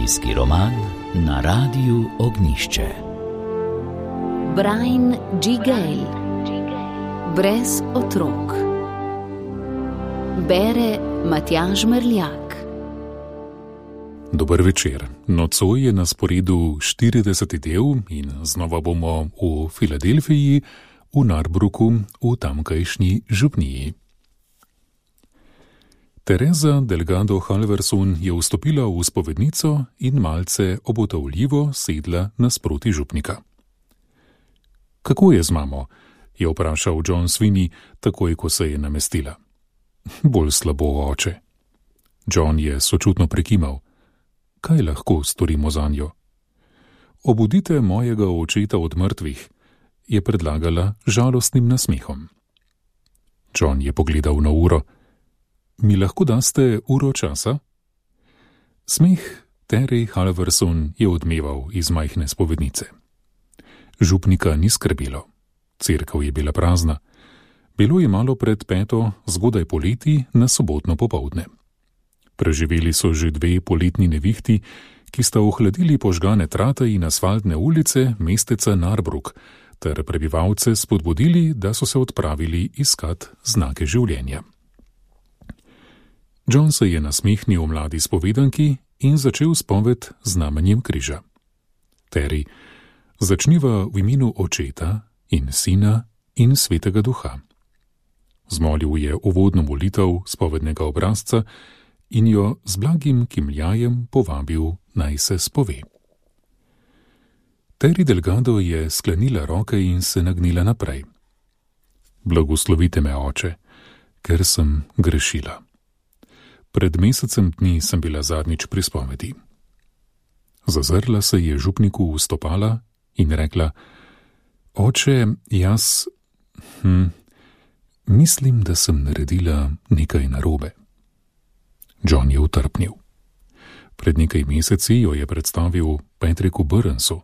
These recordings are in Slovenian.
Zimski roman na Radiu Ognjišče. Brian G. Gale. Brez otrok. Bere Matjaž Merljak. Dober večer. Nocoj je na sporedu 40. del in znova bomo v Filadelfiji, v Narbruku, v tamkajšnji župniji. Teresa Delgado Halverson je vstopila v spovednico in malce obotavljivo sedla nasproti župnika. Kako je z mamo? Je vprašal John Sweeney, takoj ko se je namestila. Bolj slabo, oče. John je sočutno prekimal. Kaj lahko storimo zanjo? Obudite mojega očeta od mrtvih, je predlagala žalostnim nasmehom. John je pogledal na uro. Mi lahko daste uro časa? Smeh Terry Halverson je odmeval iz majhne spovednice. Župnika ni skrbelo. Cerkev je bila prazna. Bilo je malo pred 5, zgodaj poleti, na sobotno popoldne. Preživeli so že 2 poletni nevihti, ki sta ohladili požgane trate in asfaltne ulice mesteca Narbruk, ter prebivalce spodbudili, da so se odpravili iskat znake življenja. John se je nasmehnil mladi spovedanki in začel spoved z znamenjem križa. Terry, začniva v imenu Očeta in Sina in Svetega Duha. Zmolil je uvodno molitev spovednega obrazca in jo z blagim kimljajem povabil, naj se spove. Terry Delgado je sklenila roke in se nagnila naprej. Blagoslovite me, oče, ker sem grešila. Pred mesecem dni sem bila zadnjič pri spovedi. Zazrla se je župniku v stopala in rekla: Oče, jaz mislim, da sem naredila nekaj narobe. John je utrpnil. Pred nekaj meseci jo je predstavil Patricku Burnsu.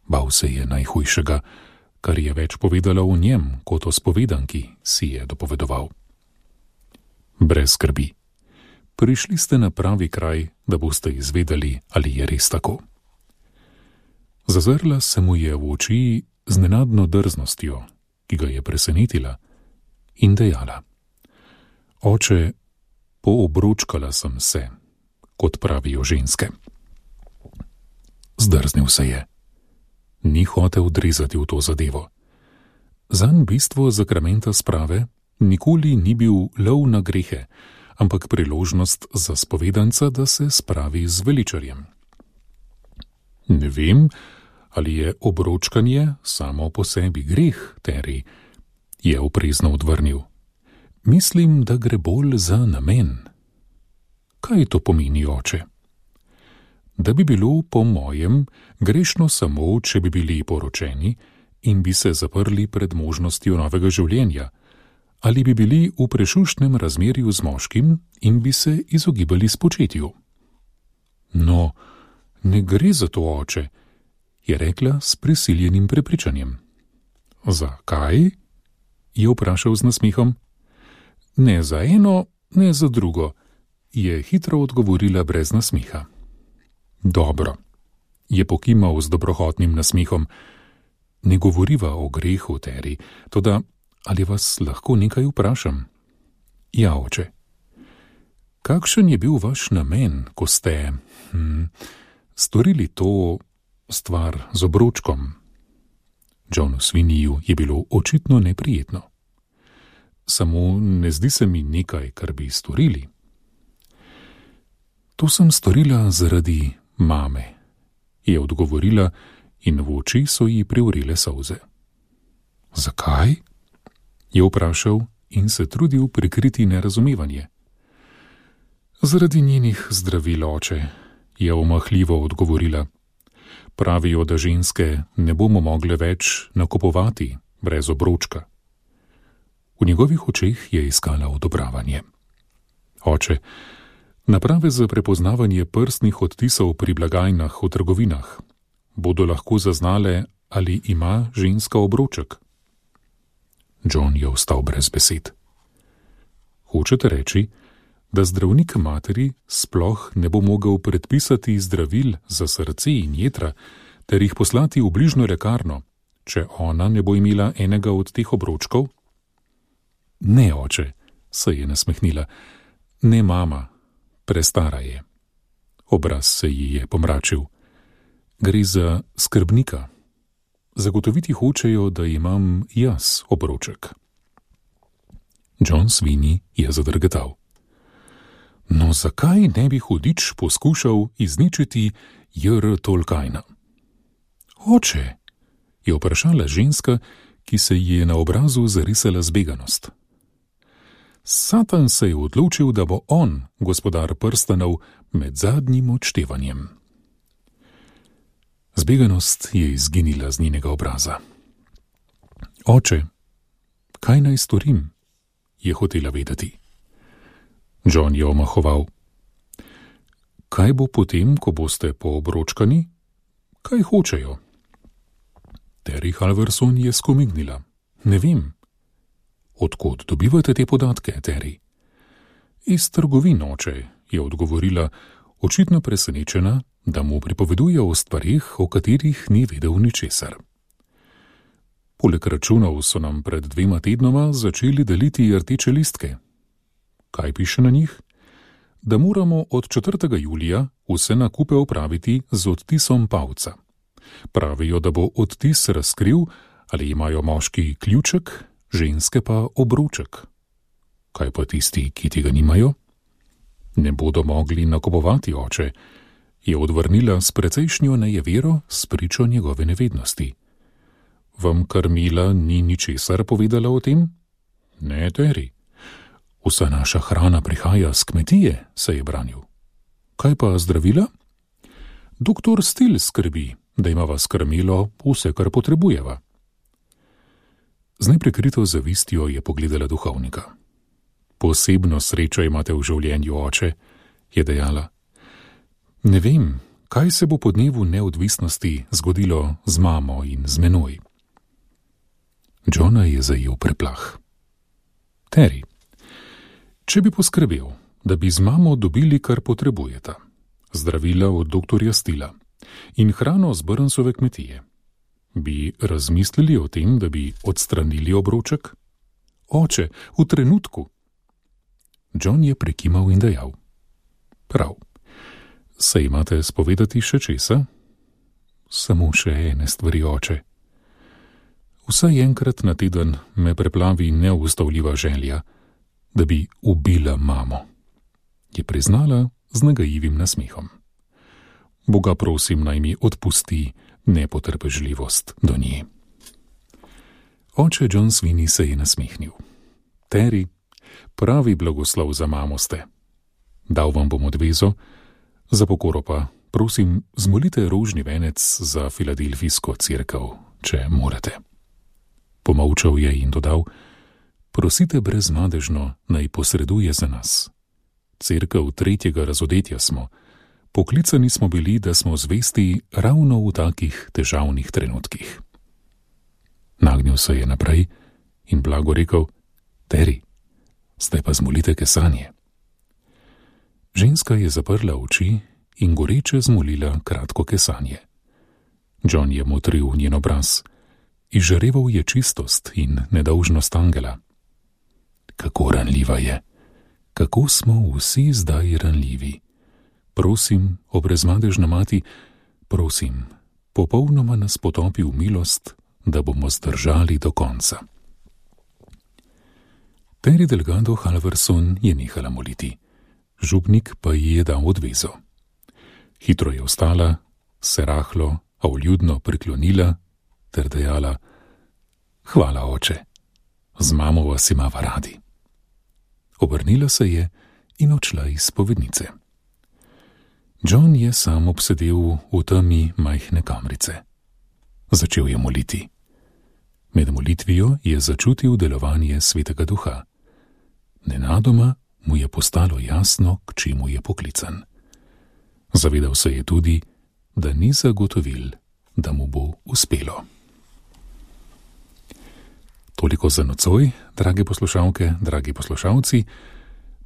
Bal se je najhujšega, kar je več povedala o njem kot o spovedanki, si je dopovedoval. Brez skrbi. Prišli ste na pravi kraj, da boste izvedeli, ali je res tako. Zazrla se mu je v oči z nenadno drznostjo, ki ga je presenetila, in dejala: Oče, poobročkala sem se, kot pravijo ženske. Zdrznil se je. Ni hotel odrezati v to zadevo. Zanj bistvo zakramenta sprave nikoli ni bil lov na grehe, ampak priložnost za spovedanca, da se spravi z veličarjem. Ne vem, ali je obročkanje samo po sebi greh, Terry, je oprezno odvrnil. Mislim, da gre bolj za namen. Kaj to pomeni, oče? Da bi bilo po mojem grešno samo, če bi bili poročeni in bi se zaprli pred možnostjo novega življenja, ali bi bili v prešuštnem razmerju z moškim in bi se izogibali spočetju. No, ne gre za to, oče, je rekla s prisiljenim prepričanjem. Zakaj? Je vprašal z nasmehom. Ne za eno, ne za drugo, je hitro odgovorila brez nasmeha. Dobro, je pokimal z dobrohotnim nasmehom. Ne govoriva o grehu, Terry, toda ali vas lahko nekaj vprašam? Ja, oče. Kakšen je bil vaš namen, ko ste storili to stvar z obročkom? Johnu Sweeneyju je bilo očitno neprijetno. Samo ne zdi se mi nekaj, kar bi storili. To sem storila zaradi mame, je odgovorila in v oči so ji privrile solze. Zakaj? Je vprašal in se trudil prikriti nerazumevanje. Zaradi njenih zdravil, oče, je omahljivo odgovorila. Pravijo, da ženske ne bomo mogle več nakupovati brez obročka. V njegovih očeh je iskala odobravanje. Oče, naprave za prepoznavanje prstnih odtisov pri blagajnah v trgovinah bodo lahko zaznale, ali ima ženska obroček. John je ostal brez besed. Hočete reči, da zdravnik materi sploh ne bo mogel predpisati zdravil za srce in jetra ter jih poslati v bližnjo lekarno, če ona ne bo imela enega od teh obročkov? Ne, oče, se je nasmehnila. Ne, mama, prestara je. Obraz se ji je pomračil. Gre za skrbnika. Zagotoviti hočejo, da imam jaz obroček. John Sweeney je zadrgetal. No, zakaj ne bi hudič poskušal izničiti J.R. Tolkiena? Oče, je vprašala ženska, ki se ji je na obrazu zarisala zbeganost. Satan se je odločil, da bo on gospodar prstanov med zadnjim odštevanjem. Zbeganost je izginila z njenega obraza. Oče, kaj naj storim? Je hotela vedeti. John je omahoval. Kaj bo potem, ko boste poobročkani? Kaj hočejo? Terry Halverson je skomignila. Ne vem. Odkot dobivate te podatke, Terry? Iz trgovin, oče, je odgovorila, očitno presenečena, da mu pripoveduje o stvarih, o katerih ni vedel ničesar. Poleg računov so nam pred 2 tednoma začeli deliti rdeče listke. Kaj piše na njih? Da moramo od 4. julija vse nakupe opraviti z odtisom palca. Pravijo, da bo odtis razkril, ali imajo moški ključek, ženske pa obroček. Kaj pa tisti, ki tega nimajo? Ne bodo mogli nakupovati, oče, je odvrnila s precejšnjo nejevero s pričo njegove nevednosti. Vam Karmila ni ničesar povedala o tem? Ne, Terry. Vsa naša hrana prihaja z kmetije, se je branil. Kaj pa zdravila? Doktor Stil skrbi, da ima vas Karmilo vse, kar potrebujeva. Z neprekrito zavistjo je pogledala duhovnika. Posebno srečo imate v življenju, oče, je dejala. Ne vem, kaj se bo po dnevu neodvisnosti zgodilo z mamo in z menoj. Johna je zajel preplah. Terry, če bi poskrbel, da bi z mamo dobili, kar potrebujeta, zdravila od doktorja Stila in hrano z Burnsove kmetije, bi razmislili o tem, da bi odstranili obroček? Oče, v trenutku. John je prekimal in dejal. Prav. Se imate spovedati še česa? Samo še ene stvari, oče. Vsaj enkrat na teden me preplavi neustavljiva želja, da bi ubila mamo, je priznala z nagajivim nasmehom. Boga prosim, naj mi odpusti nepotrpežljivost do nje. Oče John Sweeney se je nasmehnil. Terry, pravi blagoslov za mamo ste. Dal vam bom odvezo, za pokoro pa, prosim, zmolite rožni venec za filadelfijsko cerkev, če morate. Pomolčal je in dodal, prosite brezmadežno, naj posreduje za nas. Cerkev 3. razodetja smo, poklicani smo bili, da smo zvesti ravno v takih težavnih trenutkih. Nagnil se je naprej in blago rekel, Terry, zdaj pa zmolite kesanje. Ženska je zaprla oči in goreče zmolila kratko kesanje. John je motril njen obraz, izžareval je čistost in nedolžnost angela. Kako ranljiva je, kako smo vsi zdaj ranljivi. Prosim, o brezmadežna mati, prosim, popolnoma nas potopi v milost, da bomo zdržali do konca. Terry Delgado Halverson je nehala moliti, župnik pa ji je dal odvezo. Hitro je vstala, se rahlo, a vljudno priklonila ter dejala, hvala, oče, z mamo vas imava radi. Obrnila se je in odšla iz spovednice. John je sam obsedel v temi majhne kamrice. Začel je moliti. Med molitvijo je začutil delovanje Svetega Duha. Nenadoma mu je postalo jasno, k čemu je poklican. Zavedal se je tudi, da ni zagotovil, da mu bo uspelo. Toliko za nocoj, drage poslušalke, dragi poslušalci.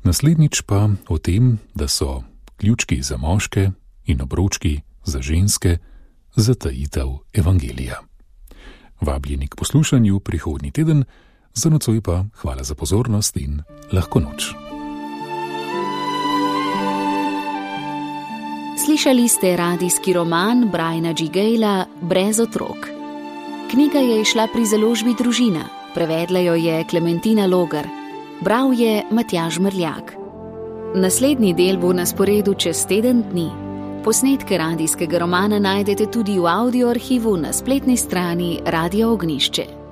Naslednjič pa o tem, da so ključki za moške in obročki za ženske zatajitev evangelija. Vabljeni k poslušanju prihodnji teden, za nocoj pa hvala za pozornost in lahko noč. Slišali ste radijski roman Briana G. Gayla Brez otrok. Knjiga je izšla pri založbi Družina, prevedla jo je Klementina Logar, bral je Matjaž Mrljak. Naslednji del bo na sporedu čez teden dni. Posnetke radijskega romana najdete tudi v audio arhivu na spletni strani Radia Ognjišče.